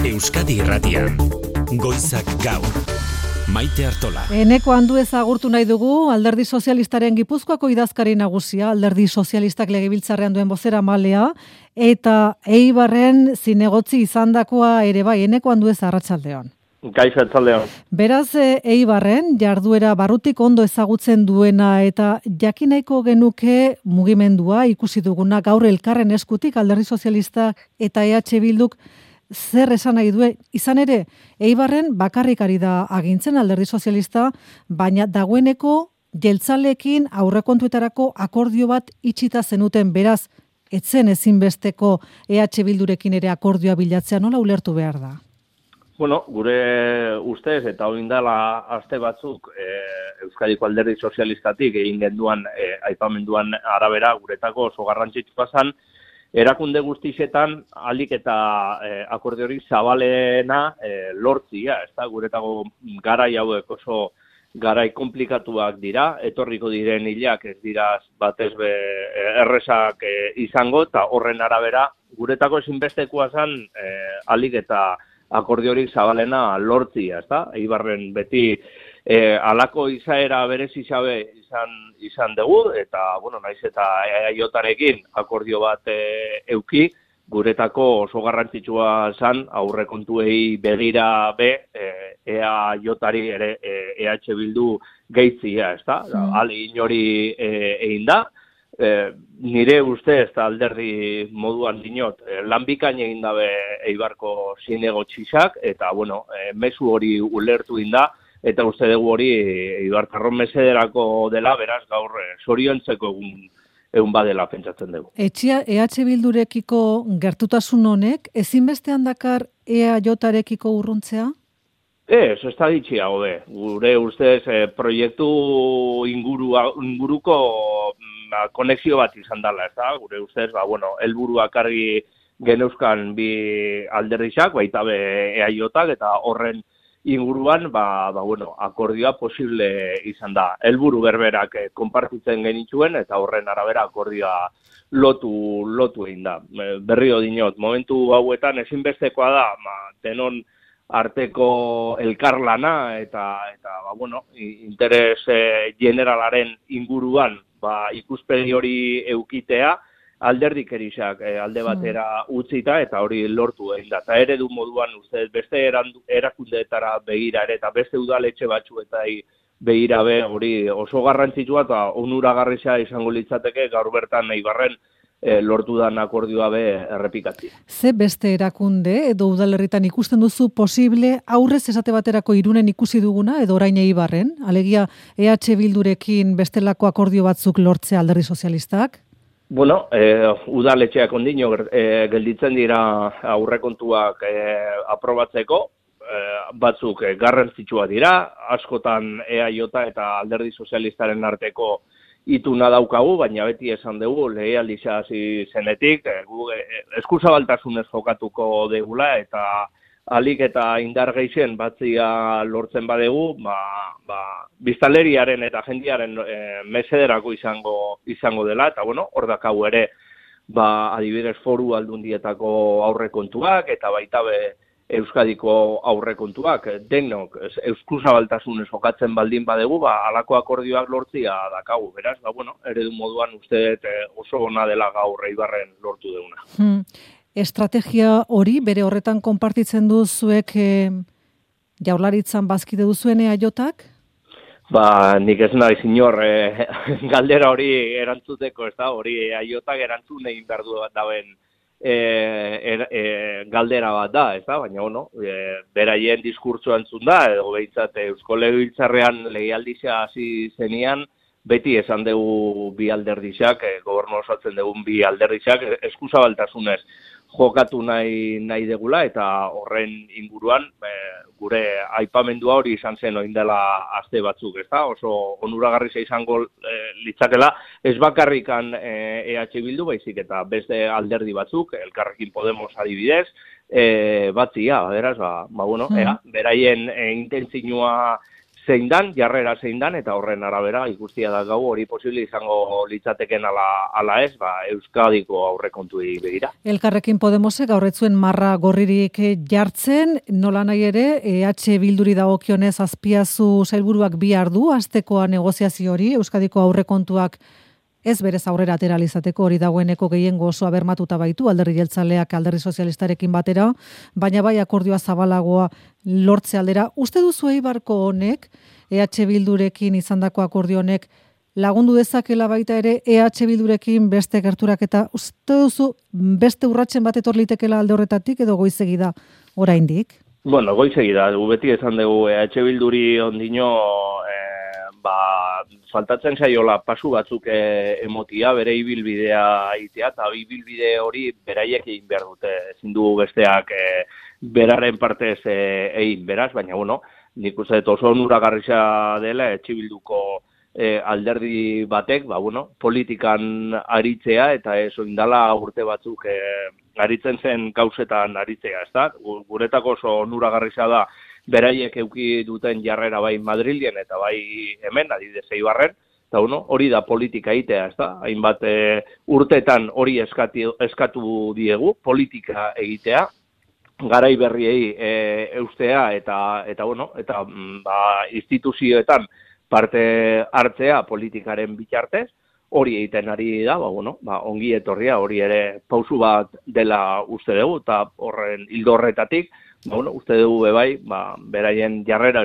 Euskadi Irratian, Goizak Gaur, Maite Artola. Eneko Anduez agurtu nahi dugu, Alderdi Sozialistaren Gipuzkoako idazkari nagusia, Alderdi Sozialistak legebiltzarrean duen bozeramalea, eta Eibarren zinegotzi izandakoa ere bai, Eneko Anduez arratsaldeon. Kaixo arratsaldeon. Beraz, Eibarren jarduera barrutik ondo ezagutzen duena eta jakineko genuke mugimendua ikusi duguna gaur elkarren eskutik Alderdi Sozialistak eta EH Bilduk zer esan nahi duen, izan ere, Eibarren bakarrik ari da agintzen Alderdi Sozialista, baina dagoeneko jeltzaleekin aurrekontuetarako akordio bat itxita zenuten, beraz, etzen ezinbesteko EH Bildurekin ere akordioa bilatzea, nola ulertu behar da? Bueno, gure ustez eta oindala aste batzuk Euskadiko Alderdi Sozialistatik egin genduan aipamenduan arabera guretako oso garrantzitsua zen, erakunde guztietan ahalik eta akordiorik zabalena lortzia, ezta guretako garai hauek oso garai konplikatuak dira, etorriko diren hilak ez dira batez be erresak izango, eta horren arabera guretako ezinbestekoa zen ahalik eta akordiorik zabalena lortzia, ezta? Eibarren beti alako izaera berezi xabe izan dugu, eta, bueno, naiz eta EAJarekin akordio bat euki, guretako oso garrantzitsua zen aurrekontuei begira EAJari ere EH Bildu gehitzia, ezta? Ahalegin hori egin da. Nire ustez eta alderdi moduan dinot, lan bikain egin dabe Eibarko zinegotziak, eta, bueno, mezu hori ulertu inda, eta uste dugu hori Eibartarron mesederako dela, beraz gaur zoriontzeko egun badela pentsatzen dugu. EH Bildurekiko gertutasun honek, ezinbestean dakar EAJarekiko urruntzea? Ez da ditxia, hobe. Gure ustez proiektu inguruko konexio bat izan dela, ez da? Gure ustez, helburuak argi geneuzkan bi alderdiak, baita be EAJak, eta horren inguruan, akordioa posible izan da. Helburu berberak konpartitzen genituen, eta horren arabera akordioa lotu egin da. Berrio dinot, momentu hauetan ezinbestekoa da, denon arteko elkarlana, eta interes generalaren inguruan, ikuspegi hori eukitea, alderdikerisak alde batera utzita eta hori lortu egin da. Eta eredu moduan uste beste erakundeetara begira ere eta beste udaletxe batzuetai begira be hori oso garrantzitsua eta onuragarria izango litzateke gaur bertan Eibarren lortu dan akordioa be errepikatzea. Ze beste erakunde edo udalerritan ikusten duzu posible aurrez esate baterako Irunen ikusi duguna edo orain Eibarren? Alegia EH Bildurekin bestelako akordio batzuk lortzea Alderdi Sozialistak? Bueno, udaletxeak ondino gelditzen dira aurrekontuak aprobatzeko, batzuk garrantzitsua dira, askotan EAJ eta Alderdi Sozialistaren arteko ituna daukagu, baina beti esan dugu, legealdia hasi zenetik, eskuzabaltasunez jokatuko degula, eta alik eta indar gehien batzia lortzen badegu, biztanleriaren eta jendiaren mesederako izango dela, eta hor dakau ere, adibidez Foru Aldundietako aurrekontuak, eta baita be Euskadiko aurrekontuak, denok eskuzabaltasunez jokatzen baldin badegu, halako akordioak lortzia dakagu, beraz, eredu moduan uste oso ona dela gaur Eibarren lortu duguna. Estrategia hori, bere horretan konpartitzen duzuek Jaurlaritzan bazkide duzuen EAJak? Nik ez nahi zinor galdera hori erantzuteko, ez da, hori EAJak erantzun egin behar du daben galdera bat da, ez da, baina, beraien diskurtsoa entzun da, edo behintzat Eusko Legebiltzarrean legealdia hasi zenian, beti esan dugu bi alderdizak, gobernu osatzen dugun bi alderdizak, eskuzabaltasunez jokatu nahi degula, eta horren inguruan gure aipamendua hori izan zen oin dela aste batzuk, ez da? Oso onuragarria izango litzakela, ez bakarrikan EH Bildu, baizik eta beste alderdi batzuk, Elkarrekin Podemos adibidez, batzia, beraz, beraien intentzioa jarrera zein dan, eta horren arabera ikustia da gau hori posible izango litzateken ala ez, Euskadiko aurrekontuei begira. Elkarrekin Podemosek gaur ez zuen marra gorririk jartzen, nola nahi ere, EH Bilduri dagokionez Azpiazu sailburuak bihar du astekoa negoziazio hori, Euskadiko aurrekontuak ez berez aurrera atera izateko hori dagoeneko gehiengo osoa bermatuta baitu Alderdi Jeltzaleak Alderdi Sozialistarekin batera, baina bai akordioa zabalagoa lortze aldera. Uste duzu Eibarko honek, EH Bildurekin izandako akordio honek lagundu dezakela baita ere EH Bildurekin beste gerturak eta uste duzu beste urratsen bat etor litekela alde horretatik edo goizegi da oraindik? Bueno, goizegi da, beti esan dugu EH Bilduri ondino faltatzen saiola pasu batzuk emotia, bere ibilbidea egitea, eta ibilbide hori beraiek egin behar dute, ezin du besteak beraren partez egin beraz, baina bueno, nik uste oso onuragarria dela Bilduko alderdi batek, politikan aritzea, eta ez oindala urte batzuk aritzen zen gauzetan aritzea, ezta? Guretako oso onuragarria da, beraiek eduki duten jarrera bai Madrilen eta bai hemen, adibidez Eibarren, eta hori da politika egitea, ezta? Hainbat urtetan hori eskatu diegu, politika egitea, garai berriei eustea eta instituzioetan parte hartzea politikaren bitartez, hori egiten ari da, ongi etorria, hori ere pausu bat dela uste dugu, eta horren ildo horretatik, uste dugu bebai, beraien jarrera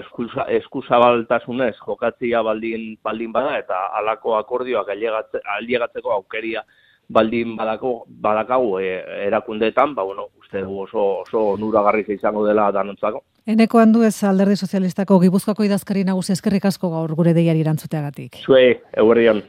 eskuzabaltasunez jokatzia baldin bada, eta halako akordioak ailegatzeko aukeria baldin badakagu erakundeetan, uste dugu oso onuragarria izango dela danontzako. Eneko Anduez Alderdi Sozialistako Gipuzkoako idazkari nagusi eskerrik asko gaur gure deiari erantzuteagatik. Zuei, eguerdion.